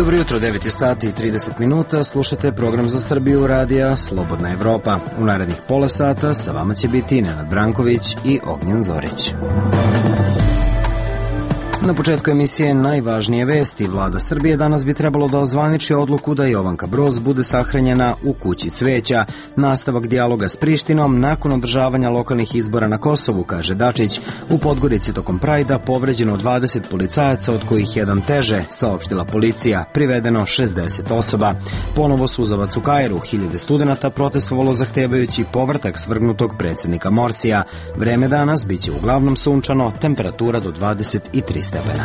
Dobro jutro, 9 sati i 30 minuta, slušate program za Srbiju radija Slobodna Evropa. U narednih pola sata sa vama će biti Nenad Branković i Ognjen Zorić. Na početku emisije najvažnije vesti. Vlada Srbije danas bi trebalo da ozvaniči odluku da Jovanka Broz bude sahranjena u kući cveća. Nastavak dijaloga s Prištinom nakon održavanja lokalnih izbora na Kosovu, kaže Dačić. U Podgorici tokom Prajda povređeno 20 policajaca, od kojih jedan teže, saopštila policija. Privedeno 60 osoba. Ponovo suzavac u Kairu. 1000 studenata protestovalo zahtevajući povratak svrgnutog predsjednika Morsija. Vreme danas biće uglavnom sunčano, temperatura do 23 stepena.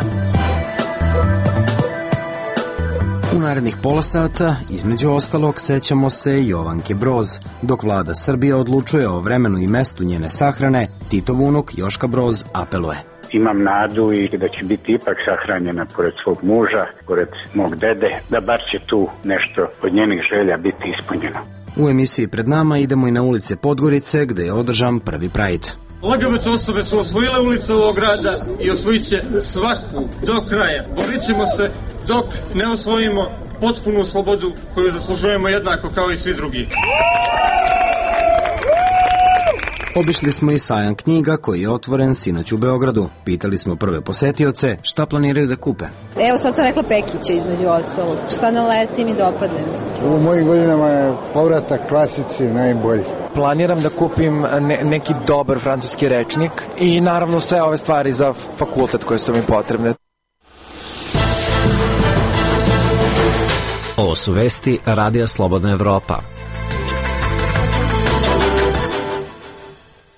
U narednih pola sata, između ostalog, sećamo se Jovanke Broz. Dok vlada Srbije odlučuje o vremenu i mestu njene sahrane, Titov unuk Joška Broz apeluje. Imam nadu i da će biti ipak sahranjena pored svog muža, pored mog dede, da bar će tu nešto od njenih želja biti ispunjeno. U emisiji pred nama idemo i na ulice Podgorice, gde je održan prvi Pride. LGBT osobe su osvojile ulice ovog grada i osvojit će svaku do kraja. Borit ćemo se dok ne osvojimo potpunu slobodu koju zaslužujemo jednako kao i svi drugi. Obišli smo i sajam knjiga koji je otvoren sinoć u Beogradu. Pitali smo prve posetioce šta planiraju da kupe. Evo sad sam rekla Pekića između ostalog. Šta naleti mi dopadne mi se. U mojim godinama je povratak klasici najbolji. Planiram da kupim neki dobar francuski rečnik i naravno sve ove stvari za fakultet koje su mi potrebne. Ovo su vesti Radija Slobodna Evropa.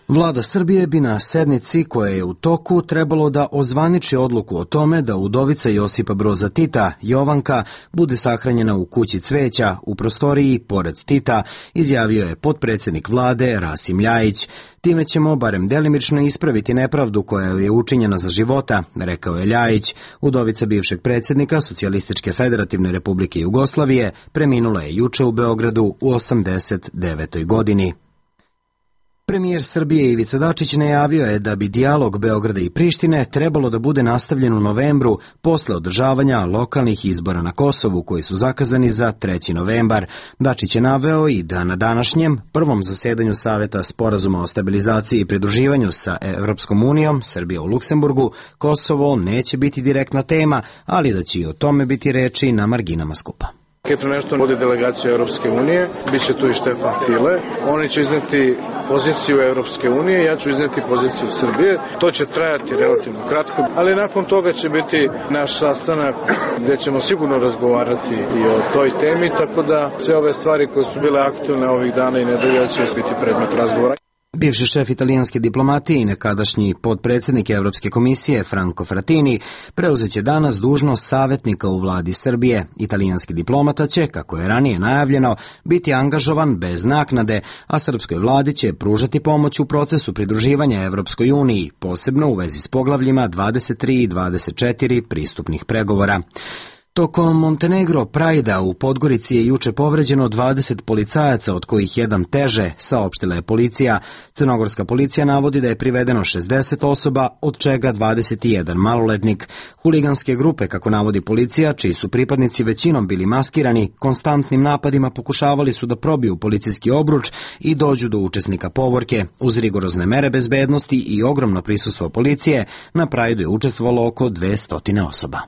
Vlada Srbije bi na sednici koja je u toku trebalo da ozvaniči odluku o tome da udovica Josipa Broza Tita, Jovanka, bude sahranjena u kući cveća u prostoriji pored Tita, izjavio je potpredsjednik vlade Rasim Ljajić. Time ćemo barem delimično ispraviti nepravdu koja je učinjena za života, rekao je Ljajić. Udovica bivšeg predsjednika Socijalističke federativne republike Jugoslavije preminula je juče u Beogradu u 89. godini. Premijer Srbije Ivica Dačić najavio je da bi dijalog Beograda i Prištine trebalo da bude nastavljen u novembru posle održavanja lokalnih izbora na Kosovu koji su zakazani za 3. novembar. Dačić je naveo i da na današnjem prvom zasedanju Saveta sporazuma o stabilizaciji i pridruživanju sa Evropskom unijom, Srbija u Luksemburgu, Kosovo neće biti direktna tema, ali da će i o tome biti reči na marginama skupa. Ketro nešto vodi delegaciju Evropske unije, bit će tu i Štefan File. Oni će izneti poziciju Evropske unije, ja ću izneti poziciju Srbije. To će trajati relativno kratko, ali nakon toga će biti naš sastanak gde ćemo sigurno razgovarati i o toj temi, tako da sve ove stvari koje su bile aktualne ovih dana i nedelja će biti predmet razgovora. Bivši šef italijanske diplomatije i nekadašnji potpredsjednik Evropske komisije Franco Frattini preuzeće danas dužnost savjetnika u vladi Srbije. Italijanski diplomata će, kako je ranije najavljeno, biti angažovan bez naknade, a srpskoj vladi će pružati pomoć u procesu pridruživanja Evropskoj uniji, posebno u vezi s poglavljima 23 i 24 pristupnih pregovora. Tokom Montenegro Prajda u Podgorici je juče povređeno 20 policajaca, od kojih jedan teže, saopštila je policija. Crnogorska policija navodi da je privedeno 60 osoba, od čega 21 maloletnik. Huliganske grupe, kako navodi policija, čiji su pripadnici većinom bili maskirani, konstantnim napadima pokušavali su da probiju policijski obruč i dođu do učesnika povorke. Uz rigorozne mere bezbednosti i ogromno prisustvo policije, na Prajdu je učestvovalo oko 200 osoba.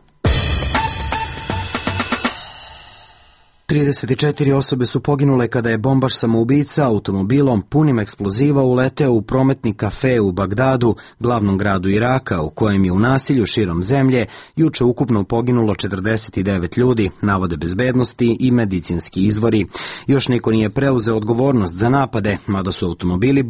34 osobe su poginule kada je bombaš samoubica automobilom punim eksploziva uleteo u prometni kafe u Bagdadu, glavnom gradu Iraka, u kojem je u nasilju širom zemlje juče ukupno poginulo 49 ljudi, navode bezbednosti i medicinski izvori. Još niko nije preuzeo odgovornost za napade, mada su automobili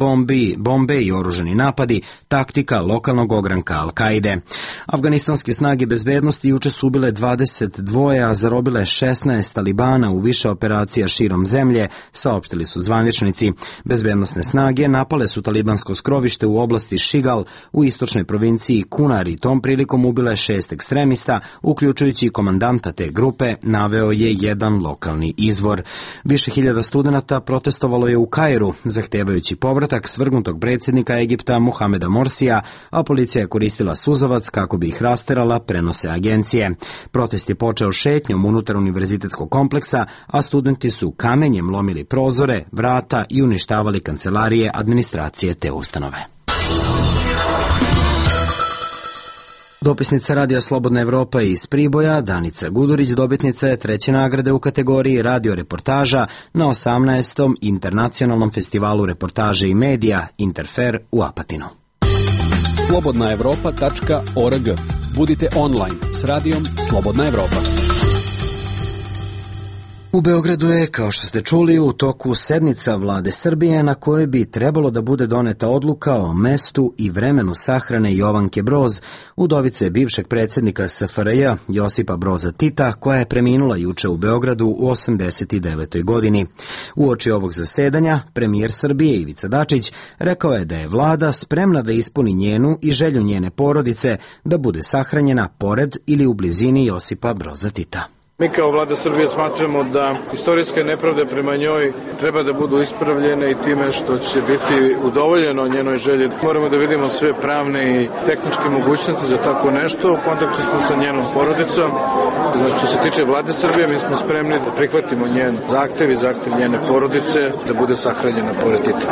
bombe i oružani napadi taktika lokalnog ogranka Al-Kaide. Afganistanske snage bezbednosti juče su ubile 22, a zarobile 16 talibana u više operacija širom zemlje, saopštili su zvaničnici. Bezbednosne snage napale su talibansko skrovište u oblasti Šigal u istočnoj provinciji Kunar i tom prilikom ubile 6 ekstremista, uključujući komandanta te grupe, naveo je jedan lokalni izvor. Više hiljada studenata protestovalo je u Kairu, zahtevajući povratak svrgnutog predsjednika Egipta Mohameda Morsija, a policija je koristila suzavac kako bi ih rasterala, prenose agencije. Protest je počeo šetnjom unutar univerzitetskog kompleksa, a studenti su kamenjem lomili prozore, vrata i uništavali kancelarije administracije te ustanove. Dopisnica Radija Slobodna Evropa iz Priboja, Danica Gudurić, dobitnica je 3. nagrade u kategoriji radio reportaža na 18. internacionalnom festivalu reportaže i medija Interfer u Apatinu. slobodnaevropa.org. Budite online s radijom Slobodna Evropa. U Beogradu je, kao što ste čuli, u toku sednica vlade Srbije na kojoj bi trebalo da bude doneta odluka o mestu i vremenu sahrane Jovanke Broz, udovice bivšeg predsjednika SFRJ Josipa Broza Tita, koja je preminula juče u Beogradu u 89. godini. Uoči ovog zasedanja, premijer Srbije Ivica Dačić rekao je da je vlada spremna da ispuni njenu i želju njene porodice da bude sahranjena pored ili u blizini Josipa Broza Tita. Mi kao vlada Srbije smatramo da istorijske nepravde prema njoj treba da budu ispravljene i time što će biti udovoljeno njenoj želji. Moramo da vidimo sve pravne i tehničke mogućnosti za tako nešto. U kontaktu smo sa njenom porodicom. Znači, što se tiče vlade Srbije, mi smo spremni da prihvatimo njen zahtev i zahtev njene porodice da bude sahranjena pored Tita.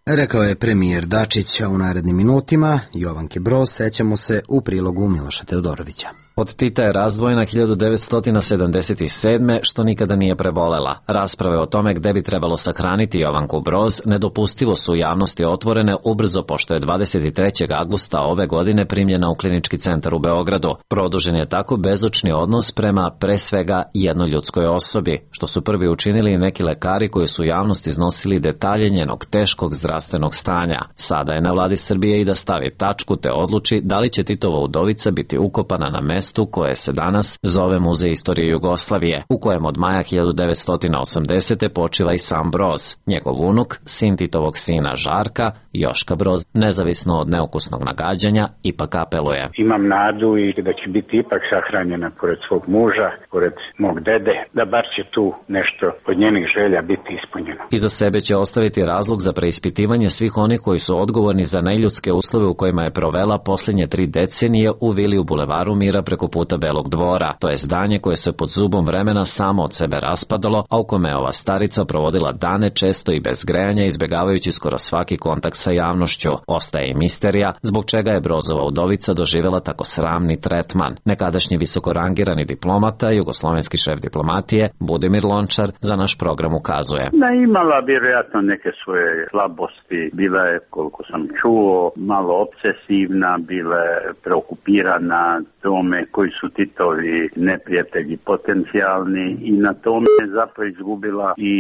Rekao je premijer Dačić, a u narednim minutima Jovanke Broz sećamo se u prilogu Miloša Teodorovića. Od Tita je razdvojena 1977. što nikada nije prebolela. Rasprave o tome gde bi trebalo sahraniti Jovanku Broz nedopustivo su u javnosti otvorene ubrzo pošto je 23. avgusta ove godine primljena u klinički centar u Beogradu. Produžen je tako bezočni odnos prema pre svega jednoj ljudskoj osobi, što su prvi učinili neki lekari koji su u javnosti iznosili detalje njenog teškog zdravstvenog stanja. Sada je na vladi Srbije i da stavi tačku te odluči da li će Titova udovica biti ukopana na mestu koje se danas zove Muzej istorije Jugoslavije, u kojem od maja 1980. počiva i sam Broz. Njegov unuk, sin Titovog sina Žarka, Joška Broz, nezavisno od neukusnog nagađanja, ipak apeluje. Imam nadu i da će biti ipak sahranjena pored svog muža, pored mog dede, da bar će tu nešto od njenih želja biti ispunjeno. Iza sebe će ostaviti razlog za preispitivanje svih onih koji su odgovorni za neljudske uslove u kojima je provela posljednje 3 decenije u vili u Bulevaru Mira preko puta Belog dvora. To je zdanje koje se pod zubom vremena samo od sebe raspadalo, a u kome je ova starica provodila dane često i bez grejanja, izbjegavajući skoro svaki kontakt sa javnošću. Ostaje i misterija zbog čega je Brozova udovica doživjela tako sramni tretman. Nekadašnji visokorangirani diplomata, jugoslovenski šef diplomatije Budimir Lončar za naš program ukazuje. Imala vjerojatno neke svoje slabosti, bila je, koliko sam čuo, malo obsesivna, bila je preokupirana tome koji su Titovi neprijatelji potencijalni i na tome je zapravo izgubila i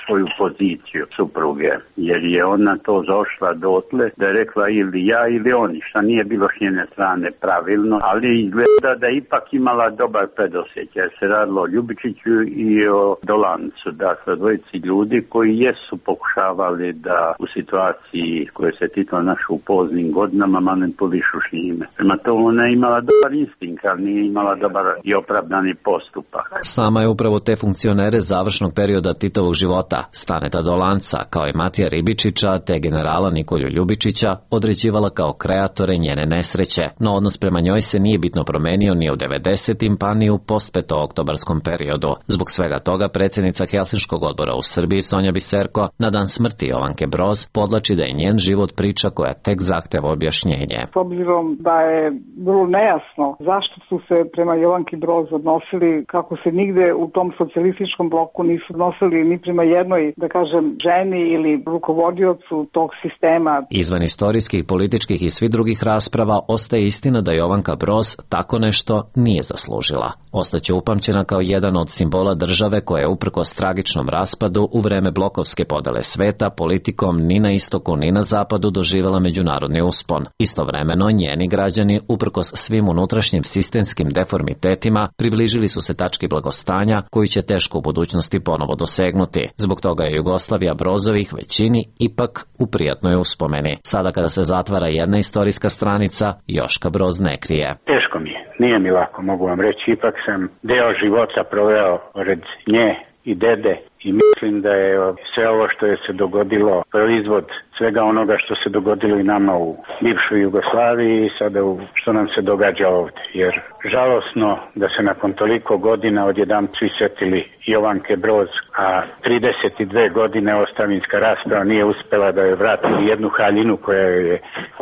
svoju poziciju supruge, jer je ona to zaošla dotle da je rekla ili ja ili oni, šta nije bilo s njene strane pravilno, ali izgleda da je ipak imala dobar predosjećaj. Se radilo o Ljubičiću i o Dolancu, dakle dvojici ljudi koji jesu pokušavali da u situaciji koje se Tito našao u poznim godinama manipulišu s njime. Prema tomu ona je imala dobar instinkt, ali nije imala dobar i opravdani postupak. Sama je upravo te funkcionere završnog perioda Titovog života, Staneta Dolanca, kao i Matija Ribičića te generala Nikolju Ljubičića, određivala kao kreatore njene nesreće, no odnos prema njoj se nije bitno promenio ni u 90. pa ni u post-petooktobarskom periodu. Zbog svega toga predsjednica Helsinškog odbora u Srbiji Sonja Biserko na dan smrti Jovanke Broz podlači da je njen život priča koja tek zahteva objašnjenje. S obzirom da je vrlo nejasno zašto su se prema Jovanki Broz odnosili kako se nigde u tom socijalističkom bloku nisu odnosili ni prema jednoj, da kažem, ženi ili rukovodiocu tog sistema. Izvan istorijskih, političkih i svih drugih rasprava ostaje istina da Jovanka Broz tako nešto nije zaslužila. Ostaće upamćena kao jedan od simbola države koja je uprkos tragičnom raspadu u vreme blokovske podele sveta politikom ni na istoku ni na zapadu doživjela međunarodni uspon. Istovremeno njeni građani uprkos svim unutrašnjim sistemima sistemskim deformitetima, približili su se tački blagostanja koju će teško u budućnosti ponovo dosegnuti. Zbog toga je Jugoslavija Brozovih većini ipak u prijatnoj uspomeni. Sada kada se zatvara jedna istorijska stranica, Joška Broz ne krije. Teško mi je, nije mi lako, mogu vam reći, ipak sam deo života proveo pored nje i dede i mislim da je sve ovo što je se dogodilo proizvod svega onoga što se dogodilo i nama u bivšoj Jugoslaviji i sada što nam se događa ovdje. Jer žalosno da se nakon toliko godina odjedan svi setili Jovanke Broz, a 32 godine ostavinska rasprava nije uspela da joj vrati jednu haljinu koja joj je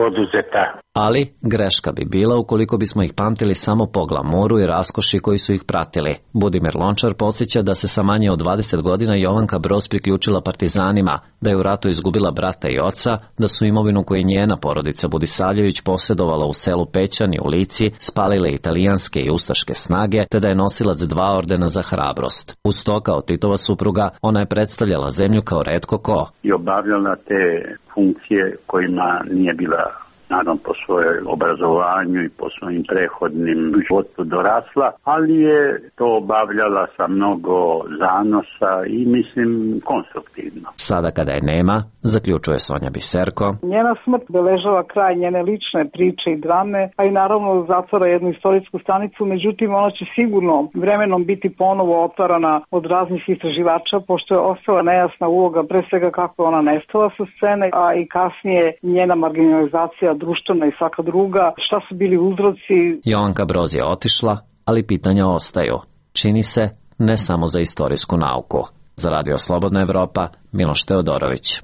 oduzeta. Ali greška bi bila ukoliko bismo ih pamtili samo po glamoru i raskoši koji su ih pratili. Budimir Lončar podsjeća da se sa manje od 20 godina Jovanka Broz priključila partizanima, da je u ratu izgubila brata i oca, da su imovinu koju njena porodica Budisavljević posjedovala u selu Pećani u Lici spalile italijanske i ustaške snage, te da je nosilac 2 ordena za hrabrost. Uz to, kao Titova supruga, ona je predstavljala zemlju kao retko ko. I obavljala te funkcije kojima nije bila, naravno, po svojoj obrazovanju i po svojim prehodnim životu dorasla, ali je to obavljala sa mnogo zanosa i mislim konstruktivno. Sada kada je nema, zaključuje Sonja Biserko, njena smrt beležava kraj njene lične priče i drame, a i naravno zatvara jednu istorijsku stanicu, međutim ona će sigurno vremenom biti ponovo otvarana od raznih istraživača, pošto je ostala nejasna uloga, pre svega kako je ona nestala sa scene, a i kasnije njena marginalizacija društvena i svaka druga, šta su bili uzroci. Jovanka Broz je otišla, ali pitanja ostaju. Čini se, ne samo za istorijsku nauku. Za Radio Slobodna Evropa, Miloš Teodorović.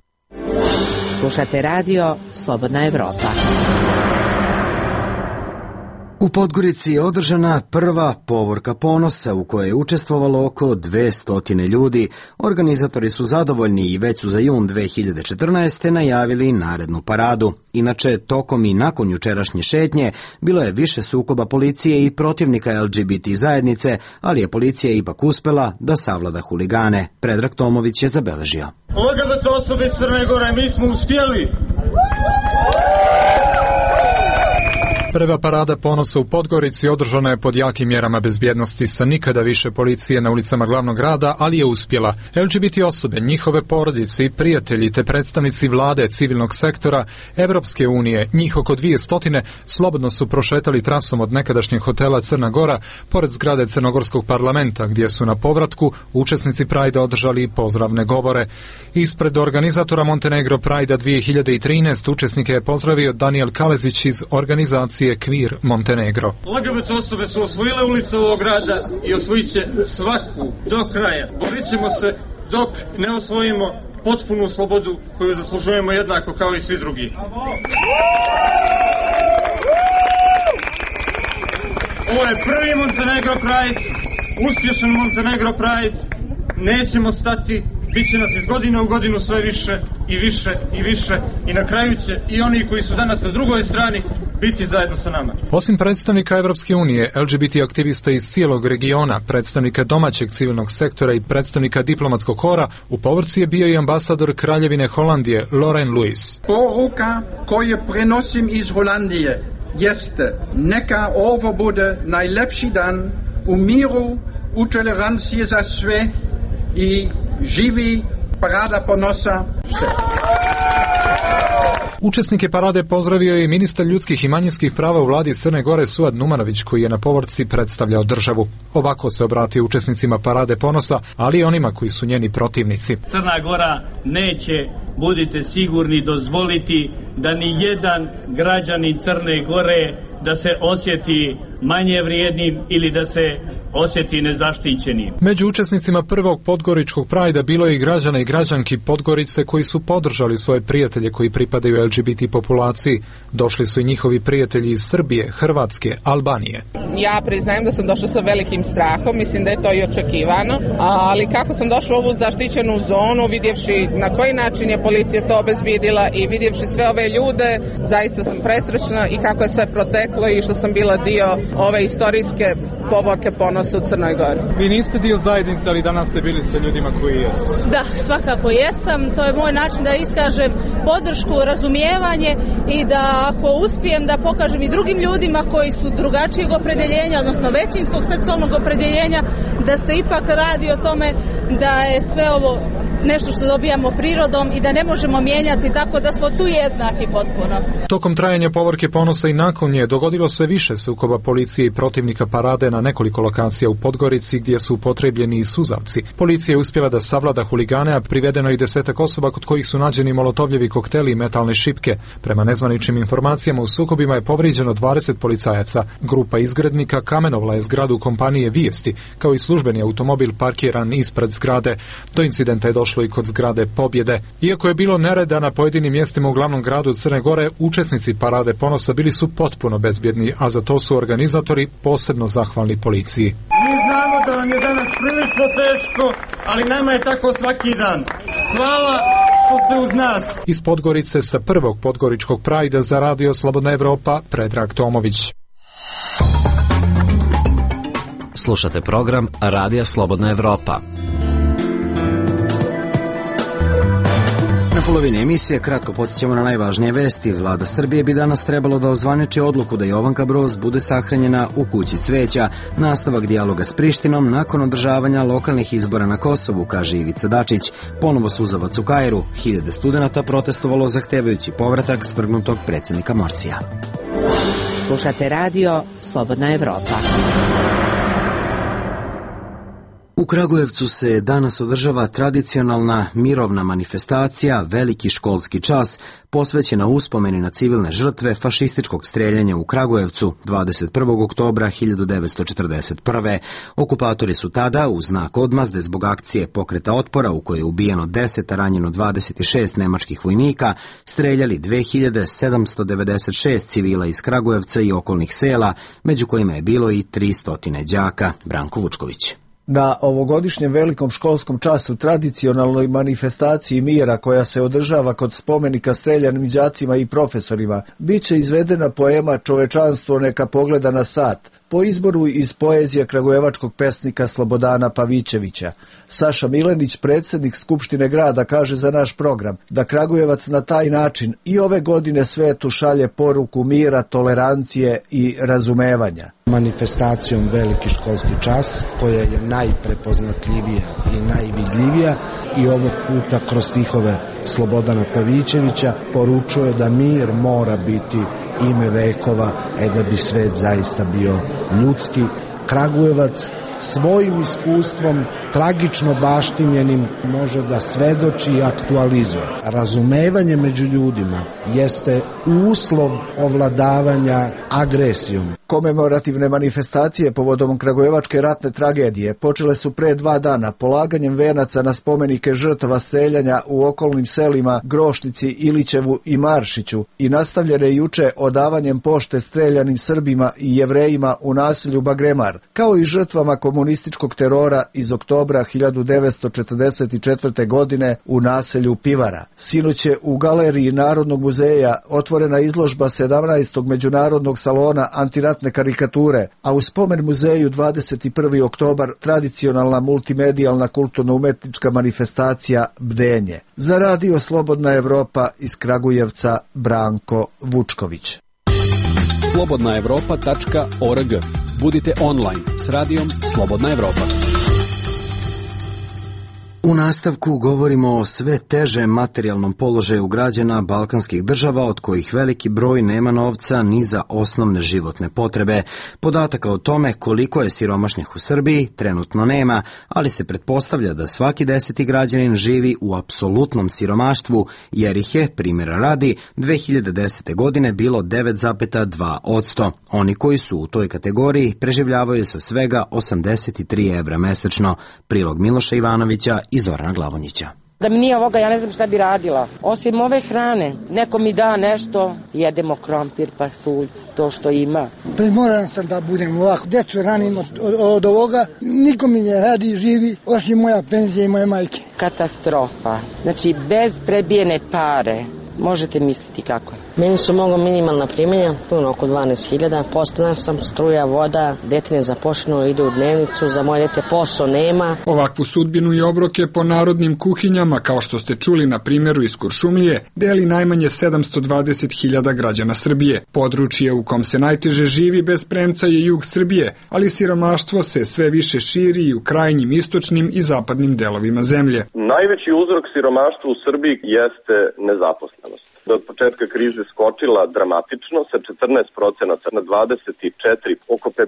Slušate Radio Slobodna Evropa. U Podgorici je održana prva povorka ponosa u kojoj je učestvovalo oko 200 ljudi. Organizatori su zadovoljni i već su za jun 2014. najavili narednu paradu. Inače, tokom i nakon jučerašnje šetnje bilo je više sukoba policije i protivnika LGBT zajednice, ali je policija ipak uspela da savlada huligane. Predrag Tomović je zabeležio. LGBT osobe Crne Gore, mi smo uspjeli! Prva parada ponosa u Podgorici održana je pod jakim mjerama bezbjednosti sa nikada više policije na ulicama glavnog grada, ali je uspjela. LGBT osobe, njihove porodice i prijatelji te predstavnici vlade, civilnog sektora, Evropske unije, njih oko 200, slobodno su prošetali trasom od nekadašnjeg hotela Crna Gora pored zgrade Crnogorskog parlamenta, gdje su na povratku učesnici Prajda održali pozdravne govore. Ispred organizatora Montenegro Prajda 2013 učesnike je pozdravio Daniel Kalezić iz organizacije Kvir Montenegro. LGBT osobe su osvojile ulice ovog grada i osvojit će svaku do kraja. Borit ćemo se dok ne osvojimo potpunu slobodu koju zaslužujemo jednako kao i svi drugi. Ovo je prvi Montenegro Pride, uspješan Montenegro Pride. Nećemo stati, bit će nas iz godine u godinu sve više i više i više i na kraju će i oni koji su danas na drugoj strani biti zajedno sa nama. Osim predstavnika Evropske unije, LGBT aktivista iz cijelog regiona, predstavnika domaćeg civilnog sektora i predstavnika diplomatskog kora, u povorci je bio i ambasador Kraljevine Holandije, Loren Lewis. Poruka koju prenosim iz Holandije jeste: neka ovo bude najlepši dan u miru, u toleranciji za sve i živi parada ponosa sve. Učesnike parade pozdravio je i ministar ljudskih i manjinskih prava u vladi Crne Gore Suad Numanović, koji je na povorci predstavljao državu. Ovako se obratio učesnicima parade ponosa, ali i onima koji su njeni protivnici. Crna Gora neće, budite sigurni, dozvoliti da ni jedan građanin Crne Gore da se osjeti manje vrijednim ili da se osjeti nezaštićenim. Među učesnicima prvog podgoričkog Prajda bilo je i građana i građanki Podgorice koji su podržali svoje prijatelje koji pripadaju LGBT populaciji. Došli su i njihovi prijatelji iz Srbije, Hrvatske, Albanije. Ja priznajem da sam došla sa velikim strahom, mislim da je to i očekivano, ali kako sam došla u ovu zaštićenu zonu, vidjevši na koji način je policija to obezbjedila i vidjevši sve ove ljude, zaista sam presrećna i kako je sve proteklo. poreklo i što sam bila dio ove istorijske povorke ponosa u Crnoj Gori. Vi niste dio zajednice, ali danas ste bili sa ljudima koji jesu. Da, svakako jesam. To je moj način da iskažem podršku, razumijevanje i da ako uspijem da pokažem i drugim ljudima koji su drugačijeg opredeljenja, odnosno većinskog seksualnog opredeljenja, da se ipak radi o tome da je sve ovo nešto što dobijamo prirodom i da ne možemo mijenjati, tako da smo tu jednaki potpuno. Tokom trajanja povorke ponosa i nakon nje dogodilo se više sukoba policije i protivnika parade na nekoliko lokacija u Podgorici gdje su upotrebljeni i suzavci. Policija je uspjela da savlada huligane, a privedeno i 10 osoba kod kojih su nađeni molotovljevi kokteli i metalne šipke. Prema nezvaničnim informacijama u sukobima je povrijeđeno 20 policajaca. Grupa izgrednika kamenovla je zgradu kompanije Vijesti, kao i službeni automobil parkiran ispred zgrade. Do incidenta je došlo i kod zgrade Pobjede. Iako je bilo nereda na pojedinim mjestima u glavnom gradu Crne Gore, učesnici parade ponosa bili su potpuno bezbjedni, a za to su organizatori posebno zahvalni policiji. Mi znamo da vam je danas prilično teško, ali nama je tako svaki dan. Hvala što ste uz nas. Iz Podgorice sa prvog podgoričkog Prajda za Radio Slobodna Evropa, Predrag Tomović. Slušate program Radija Slobodna Evropa. Na polovini emisije kratko podsjećamo na najvažnije vesti. Vlada Srbije bi danas trebalo da ozvaniči odluku da Jovanka Broz bude sahranjena u kući Cveća, nastavak dijaloga s Prištinom nakon održavanja lokalnih izbora na Kosovu, kaže Ivica Dačić. Ponovo suzavac u Kairu, 1000 studenata protestovalo zahtevajući povratak svrgnutog predsjednika Morsija. Slušate radio Slobodna Evropa. U Kragujevcu se danas održava tradicionalna mirovna manifestacija Veliki školski čas, posvećena uspomeni na civilne žrtve fašističkog streljanja u Kragujevcu 21. oktobra 1941. Okupatori su tada, u znak odmazde zbog akcije pokreta otpora u kojoj je ubijeno 10, a ranjeno 26 nemačkih vojnika, streljali 2796 civila iz Kragujevca i okolnih sela, među kojima je bilo i 300 đaka. Branko Vučković. Na ovogodišnjem velikom školskom času tradicionalnoj manifestaciji mira koja se održava kod spomenika streljanim đacima i profesorima biće izvedena poema Čovečanstvo neka pogleda na sat, po izboru iz poezije kragujevačkog pesnika Slobodana Pavićevića. Saša Milenić, predsjednik Skupštine grada, kaže za naš program da Kragujevac na taj način i ove godine svetu šalje poruku mira, tolerancije i razumevanja. Manifestacijom Veliki školski čas, koja je najprepoznatljivija i najvidljivija, i ovog puta kroz stihove Slobodana Pavićevića poručuje da mir mora biti ime vekova, da bi svet zaista bio ljudski. Kragujevac svojim iskustvom, tragično baštinjenim, može da svedoči i aktualizuje. Razumevanje među ljudima jeste uslov ovladavanja agresijom. Komemorativne manifestacije povodom kragujevačke ratne tragedije počele su pre 2 dana polaganjem venaca na spomenike žrtava streljanja u okolnim selima Grošnici, Ilićevu i Maršiću i nastavljene juče odavanjem pošte streljanim Srbima i Jevrejima u naselju Bagremar, kao i žrtvama komunističkog terora iz oktobra 1944. godine u naselju Pivara. Sinoć je u galeriji Narodnog muzeja otvorena izložba 17. međunarodnog salona antiratne karikature, a u spomen muzeju 21. oktobar tradicionalna multimedijalna kulturno-umetnička manifestacija Bdenje. Za Radio Slobodna Evropa iz Kragujevca, Branko Vučković. slobodnaevropa.org. Budite online s radijom Slobodna Evropa. U nastavku govorimo o sve težem materijalnom položaju građana balkanskih država, od kojih veliki broj nema novca ni za osnovne životne potrebe. Podataka o tome koliko je siromašnih u Srbiji trenutno nema, ali se pretpostavlja da svaki 10. građanin živi u apsolutnom siromaštvu, jer ih je, primjera radi, 2010. godine bilo 9,2%. Oni koji su u toj kategoriji preživljavaju sa svega 83 evra mesečno. Prilog Miloša Ivanovića i Zorana Glavonjića. Da mi nije ovoga, ja ne znam šta bi radila. Osim ove hrane, neko mi da nešto, jedemo krompir, pasulj, to što ima. Primoran sam da budem ovako, djecu ranim od ovoga, niko mi ne radi, živi, osim moja penzija i moje majke. Katastrofa. Znači, bez prebijene pare, možete misliti kako je. Meni su mnogo minimalna primanja, puno oko 12.000, postana sam, struja, voda, dete nezaposleno, ide u dnevnicu, za moje dete posao nema. Ovakvu sudbinu i obroke po narodnim kuhinjama, kao što ste čuli na primjeru iz Kuršumlije, deli najmanje 720.000 građana Srbije. Područje u kom se najteže živi bez premca je jug Srbije, ali siromaštvo se sve više širi i u krajnjim istočnim i zapadnim delovima zemlje. Najveći uzrok siromaštva u Srbiji jeste nezaposlenost. Od početka krize skočila dramatično sa 14% na 24%, oko 50%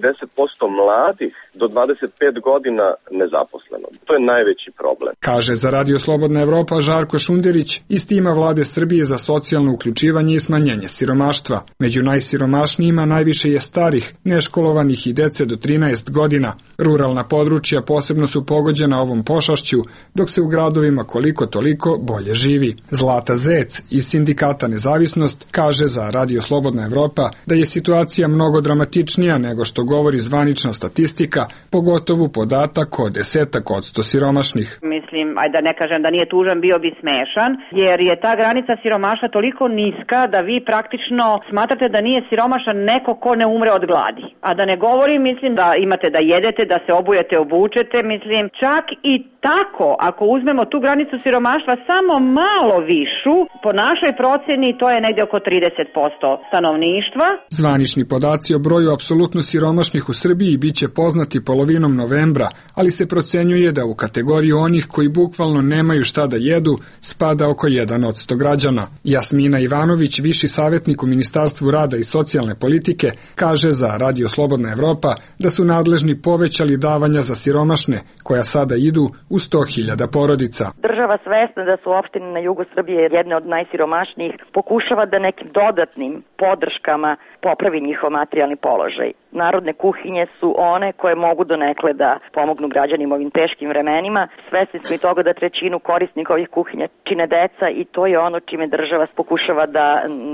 mladih do 25 godina nezaposleno. To je najveći problem. Kaže za Radio Slobodna Evropa Žarko Šunderić iz tima vlade Srbije za socijalno uključivanje i smanjenje siromaštva. Među najsiromašnijima najviše je starih, neškolovanih i dece do 13 godina. Ruralna područja posebno su pogođena ovom pošašću, dok se u gradovima koliko toliko bolje živi. Zlata Zec iz sindikata Nezavisnost kaže za Radio Slobodna Evropa da je situacija mnogo dramatičnija nego što govori zvanična statistika, pogotovo podatak od 10% siromašnih. Mislim, ajde da ne kažem da nije tužan, bio bi smešan, jer je ta granica siromaštva toliko niska da vi praktično smatrate da nije siromašan neko ko ne umre od gladi. A da ne govorim, mislim da imate da jedete, da se obujete, obučete, mislim, čak i tako, ako uzmemo tu granicu siromaštva samo malo višu, po našoj proceni to je negde oko 30% stanovništva. Zvanični podaci o broju apsolutno siromašnih u Srbiji biće poznati polovinom novembra, ali se procenjuje da u kategoriju onih koji bukvalno nemaju šta da jedu spada oko 1% građana. Jasmina Ivanović, viši savjetnik u Ministarstvu rada i socijalne politike, kaže za Radio Slobodna Evropa da su nadležni povećali davanja za siromašne, koja sada idu u 100.000 porodica. Država svesna da su opštine na jugu Srbije jedne od najsiromašnijih, pokušava da nekim dodatnim podrškama popravi njihov materijalni položaj. Narodne kuhinje su one koje mogu donekle da pomognu građanima ovim teškim vremenima. Svesni smo i toga da trećinu korisnika ovih kuhinja čine deca i to je ono čime država pokušava da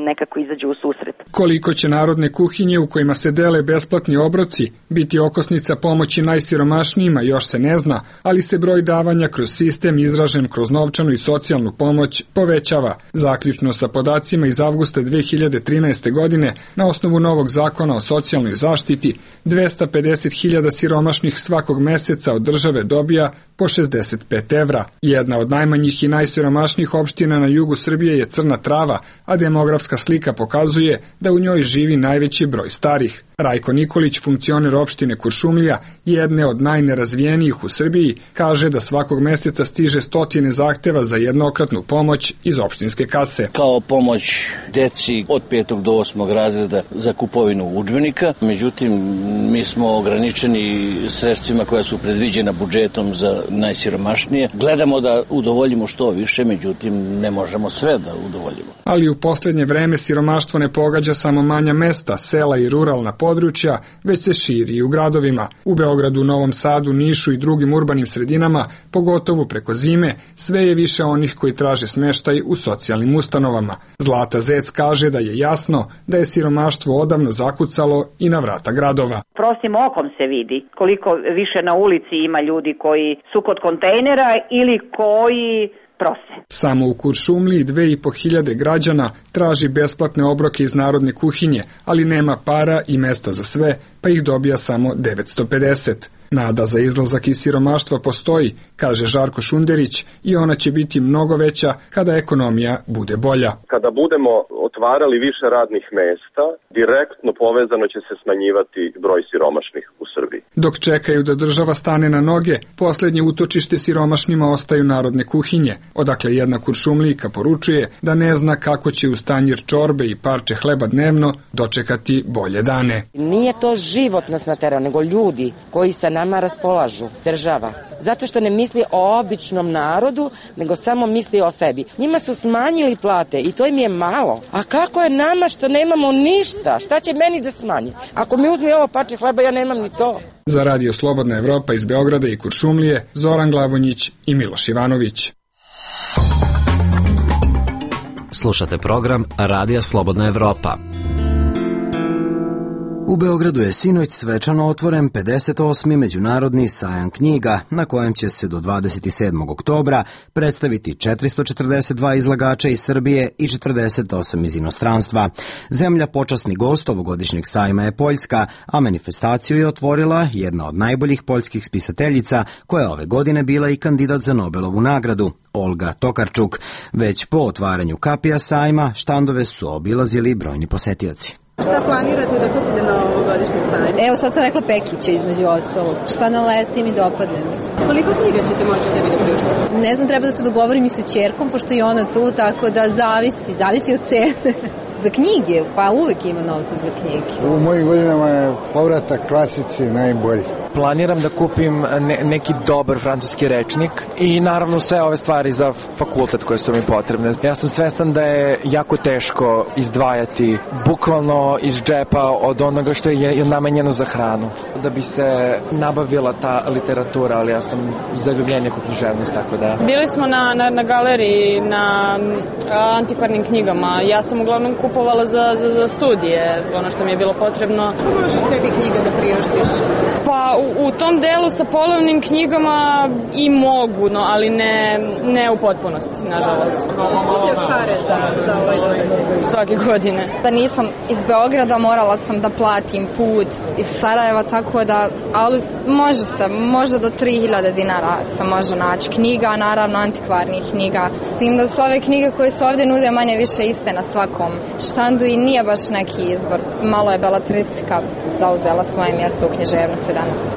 nekako izađe u susret. Koliko će narodne kuhinje u kojima se dele besplatni obroci biti okosnica pomoći najsiromašnijima još se ne zna, ali se broj davanja kroz sistem izražen kroz novčanu i socijalnu pomoć povećava. Zaključno sa podacima iz avgusta 2013. godine, na osnovu novog zakona o socijalnoj zaštiti, 250.000 siromašnih svakog meseca od države dobija po 65 evra. Jedna od najmanjih i najsiromašnijih opština na jugu Srbije je Crna Trava, a demografska slika pokazuje da u njoj živi najveći broj starih. Rajko Nikolić, funkcioner opštine Kuršumlija, jedne od najnerazvijenijih u Srbiji, kaže da svakog meseca stiže stotine zahteva za jednokratnu pomoć iz opštinske kase. Kao pomoć deci od 5. do 8. razreda za kupovinu udžbenika, međutim mi smo ograničeni sredstvima koja su predviđena budžetom za najsiromašnije. Gledamo da udovoljimo što više, međutim ne možemo sve da udovoljimo. Ali u poslednje vreme siromaštvo ne pogađa samo manja mesta, sela i ruralna područja, već se širi i u gradovima. U Beogradu, Novom Sadu, Nišu i drugim urbanim sredinama, pogotovo preko zime, sve je više onih koji traže smeštaj u socijalnim ustanovama. Zlata Zec kaže da je jasno da je siromaštvo odavno zakucalo i na vrata gradova. Prostim okom se vidi koliko više na ulici ima ljudi koji su kod kontejnera ili koji prose. Samo u Kuršumliji 2.500 građana traži besplatne obroke iz narodne kuhinje, ali nema para i mesta za sve, pa ih dobija samo 950. Nada za izlazak iz siromaštva postoji, kaže Žarko Šunderić, i ona će biti mnogo veća kada ekonomija bude bolja. Kada budemo otvarali više radnih mesta, direktno povezano će se smanjivati broj siromašnih u Srbiji. Dok čekaju da država stane na noge, poslednje utočište siromašnima ostaju narodne kuhinje, odakle jedna Kuršumlijka poručuje da ne zna kako će uz tanjir čorbe i parče hleba dnevno dočekati bolje dane. Nije to život nas naterao, nego ljudi koji sa nama raspolažu, država. Zato što ne misli o običnom narodu, nego samo misli o sebi. Njima su smanjili plate i to im je malo. A kako je nama što nemamo ništa? Šta će meni da smanji? Ako mi uzme ovo parče hleba, ja nemam ni to. Za Radio Slobodna Evropa iz Beograda i Kuršumlije, Zoran Glavonjić i Miloš Ivanović. Slušate program Radija Slobodna Evropa. U Beogradu je sinoć svečano otvoren 58. međunarodni sajam knjiga, na kojem će se do 27. oktobra predstaviti 442 izlagača iz Srbije i 48 iz inostranstva. Zemlja počasni gost ovogodišnjeg sajma je Poljska, a manifestaciju je otvorila jedna od najboljih poljskih spisateljica, koja je ove godine bila i kandidat za Nobelovu nagradu, Olga Tokarczuk. Već po otvaranju kapija sajma, štandove su obilazili brojni posetioci. Šta planirate da kupite na ovogodišnjem sajmu? Evo, sad sam rekla Pekića između ostalog. Šta naleti mi dopadne, mislim. Koliko knjiga ćete moći sebi da priuštite? Ne znam, treba da se dogovorim i sa ćerkom, pošto je ona tu, tako da zavisi od cene. Za knjige, pa uvek ima novca za knjige. U mojim godinama je povratak klasici najbolji. Planiram da kupim neki dobar francuski rečnik i naravno sve ove stvari za fakultet koje su mi potrebne. Ja sam svestan da je jako teško izdvajati bukvalno iz džepa od onoga što je namenjeno za hranu. Da bi se nabavila ta literatura, ali ja sam zaljubljenje u književnost, tako da... Bili smo na galeriji, na antikvarnim knjigama. Ja sam uglavnom kupovala za studije, ono što mi je bilo potrebno. Kako možeš tebi knjiga da priuštiš? Pa u tom delu sa polovnim knjigama i mogu, no, ali ne u potpunosti, nažalost. Kupljaš pare za ovaj događaj? Svake godine. Da nisam iz Beograda, morala sam da platim put iz Sarajeva, tako da, ali može do 3000 dinara se može naći knjiga, naravno antikvarnih knjiga. S tim da su ove knjige koje su ovde nude manje više iste na svakom štandu i nije baš neki izbor. Malo je beletristika zauzela svoje mjesto u književnosti danas.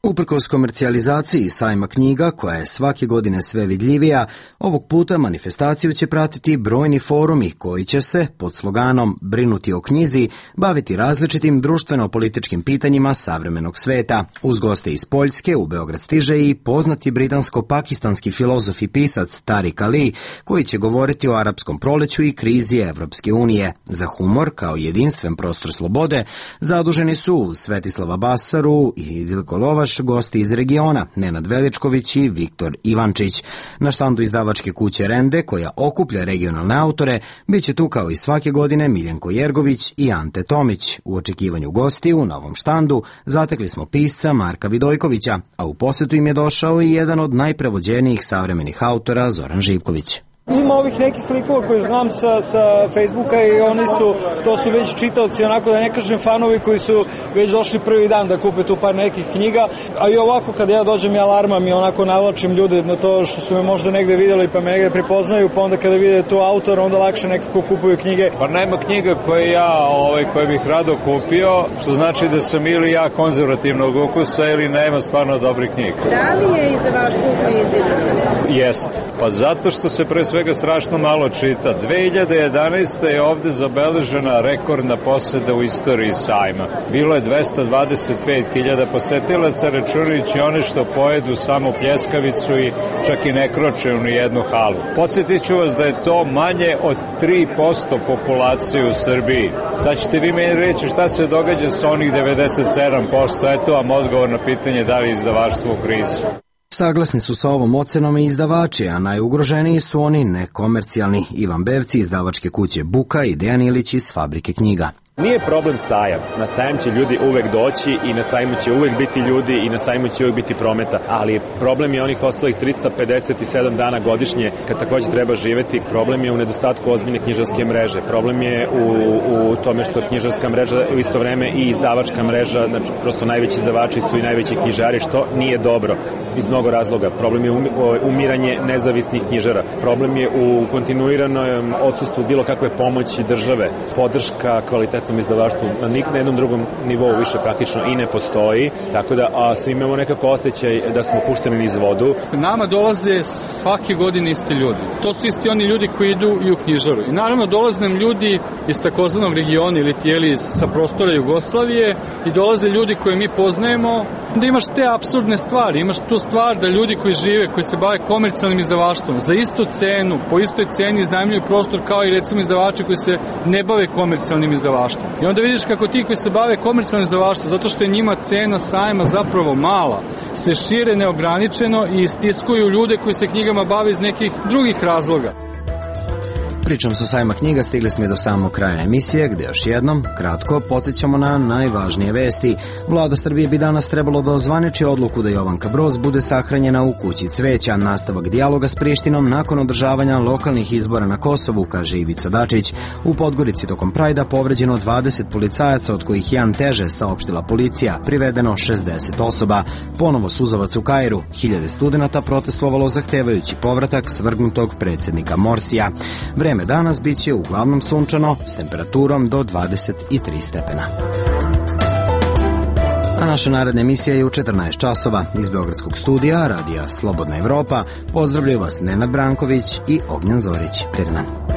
Uprkos komercijalizaciji sajma knjiga, koja je svake godine sve vidljivija, ovog puta manifestaciju će pratiti brojni forumi koji će se, pod sloganom Brinuti o knjizi, baviti različitim društveno-političkim pitanjima savremenog sveta. Uz goste iz Poljske u Beograd stiže i poznati britansko-pakistanski filozof i pisac Tariq Ali, koji će govoriti o arapskom proleću i krizi Evropske unije. Za humor, kao jedinstven prostor slobode, zaduženi su Svetislava Basaru i Dilko Lovaš, gosti iz regiona, Nenad Veličković i Viktor Ivančić. Na štandu izdavačke kuće Rende, koja okuplja regionalne autore, bit će tu kao i svake godine Miljenko Jergović i Ante Tomić. U očekivanju gosti u novom štandu zatekli smo pisca Marka Vidojkovića, a u posetu im je došao i jedan od najprevođenijih savremenih autora, Zoran Živković. Ima ovih nekih likova koje znam sa Facebooka i to su već čitaoci, onako da ne kažem fanovi koji su već došli prvi dan da kupe tu par nekih knjiga, a i ovako kad ja dođem i alarmam i onako navlačim ljude na to što su me možda negde vidjeli pa me negde prepoznaju, pa onda kada vide tu autor onda lakše nekako kupuju knjige. Pa nema knjiga koje bih rado kupio, što znači da sam ili ja konzervativnog ukusa ili nema stvarno dobrih knjiga. Da li je izdavaštvo u krizi danas? Jest, pa zato što se pre svega strašno malo čita. 2011. je ovde zabeležena rekordna poseta u istoriji sajma. Bilo je 225.000 posetilaca, računajući one što pojedu samo pljeskavicu i čak i ne kroče u nijednu halu. Podsjetit ću vas da je to manje od 3% populacije u Srbiji. Sad ćete vi meni reći šta se događa sa onih 97%. Eto vam odgovor na pitanje da li je izdavaštvo u krizi. Saglasni su sa ovom ocenom i izdavači, a najugroženiji su oni nekomercijalni. Ivan Bevci, izdavačke kuće Buka i Dejan Ilić iz Fabrike knjiga. Nije problem sajam. Na sajam će ljudi uvek doći i na sajmu će uvek biti ljudi i na sajmu će uvek biti prometa, ali problem je onih ostalih 357 dana godišnje kad takođe treba živeti. Problem je u nedostatku ozbiljne knjižarske mreže. Problem je u tome što knjižarska mreža u isto vreme i izdavačka mreža, znači prosto najveći izdavači su i najveći knjižari, što nije dobro iz mnogo razloga. Problem je umiranje nezavisnih knjižara. Problem je u kontinuiranom odsustvu bilo kakve pomoći države. Podrška kvalitetnom izdavaštvu na jednom drugom nivou više praktično i ne postoji, tako da svi imamo nekako osjećaj da smo pušteni niz vodu. Nama dolaze svake godine isti ljudi. To su isti oni ljudi koji idu i u knjižaru. I naravno dolaze nam ljudi iz takozvanog regiona ili sa prostora Jugoslavije i dolaze ljudi koje mi poznajemo. Da imaš te apsurdne stvari, imaš tu stvar da ljudi koji žive, koji se bave komercijalnim izdavaštvom, za istu cenu, po istoj ceni iznajmljuju prostor kao i recimo izdavači koji se ne bave komercijalnim izdavaštvom. I onda vidiš kako ti koji se bave komercijalnim izdavaštvom, zato što je njima cena sajma zapravo mala, se šire neograničeno i istiskuju ljude koji se knjigama bave iz nekih drugih razloga. Pričom sa sajma knjiga stigli smo i do samog kraja emisije, gde još jednom, kratko, podsjećamo na najvažnije vesti. Vlada Srbije bi danas trebalo da ozvaniči odluku da Jovanka Broz bude sahranjena u kući cveća. Nastavak dijaloga s Prištinom nakon održavanja lokalnih izbora na Kosovu, kaže Ivica Dačić. U Podgorici tokom Prajda povređeno 20 policajaca, od kojih jedan teže, saopštila policija, privedeno 60 osoba. Ponovo suzavac u Kairu, 1000 studenata protestovalo zahtevajući povratak svrgnutog predsjednika Morsija. Vreme danas biće uglavnom sunčano s temperaturom do 23 stepena. A naša naredna emisija je u 14 časova. Iz Beogradskog studija Radija Slobodna Evropa pozdravljaju vas Nenad Branković i Ognjan Zorić. Prijatno.